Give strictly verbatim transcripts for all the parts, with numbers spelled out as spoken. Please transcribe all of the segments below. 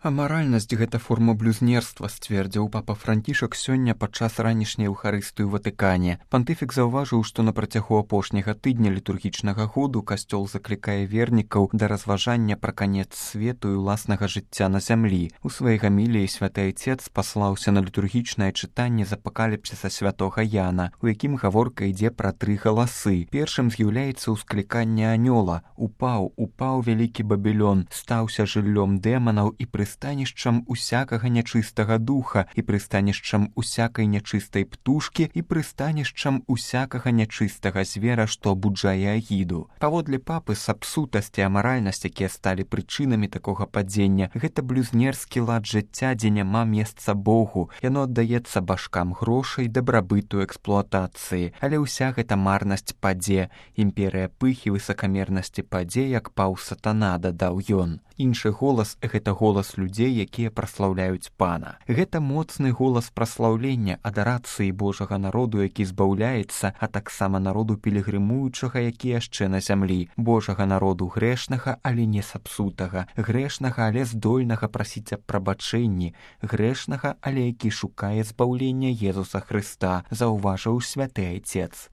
Амаральнасць — гэта форма блюзнерства, сцвердзіў папа Францішак сёння падчас ранішняй эўхарыстыі ў Ватыкане. Пантыфік заўважыў, што на працягу апошняга тыдня літургічнага году касцёл заклікае вернікаў да разважання пра канец свету і ўласнага жыцця на зямлі. У сваёй гаміліі святы айцец паслаўся на літургічнае чытанне з апакаліпсіса святога Яна, у якім гаворка ідзе пра тры галасы. Першым з'яўляецца ўскліканне анёла: «Упаў, упаў вялікі Бабілён, стаўся жыллём дэманаў і прыстанішчам усякага нячыстага духа, і прыстанішчам усякай нячыстай птушкі, і прыстанішчам усякага нячыстага звера, што абуджае агіду». Паводле папы, сапсутасць і амаральнасць, якія сталі прычынамі такога падзення, гэта блюзнерскі лад жыцця, дзе няма месца Богу. Яно аддаецца башкам грошай, дабрабыту, эксплуатацыі. Але ўся гэта марнасць падзе. Імперыя пыхі, высакамернасці падзе, як паў сатана, дадаў ён. Іншы голас — гэта голас людзей, якія праслаўляюць Пана. Гэта моцны голас праслаўлення, адарацыі Божага народу, які збаўляецца, а таксама народу пілігрымуючага, які яшчэ на зямлі. Божага народу грэшнага, але не сапсутага. Грэшнага, але здольнага прасіць аб прабачэнні. Грэшнага, але які шукае збаўлення Езуса Хрыста, заўважыў святы айцец.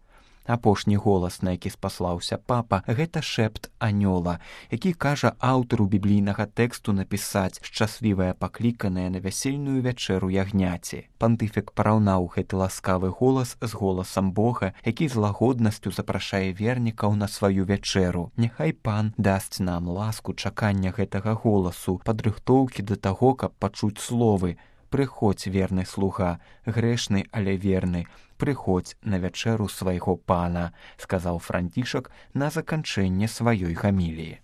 Апошні голас, на які спаслаўся папа, гэта шэпт анёла, які кажа аўтару біблійнага тэксту напісаць «шчаслівая пакліканая на вясельную вячэру ягняці». Пантыфік параўнаў гэты ласкавы голас з голасам Бога, які з лагоднасцю запрашае вернікаў на сваю вячэру. Няхай Пан дасць нам ласку чакання гэтага голасу, падрыхтоўкі да таго, каб пачуць словы: «Прыходзь, верны слуга, грэшны, але верны, прыходзь на вячэру свайго Пана», сказаў Францішак на заканчэнне сваёй гаміліі.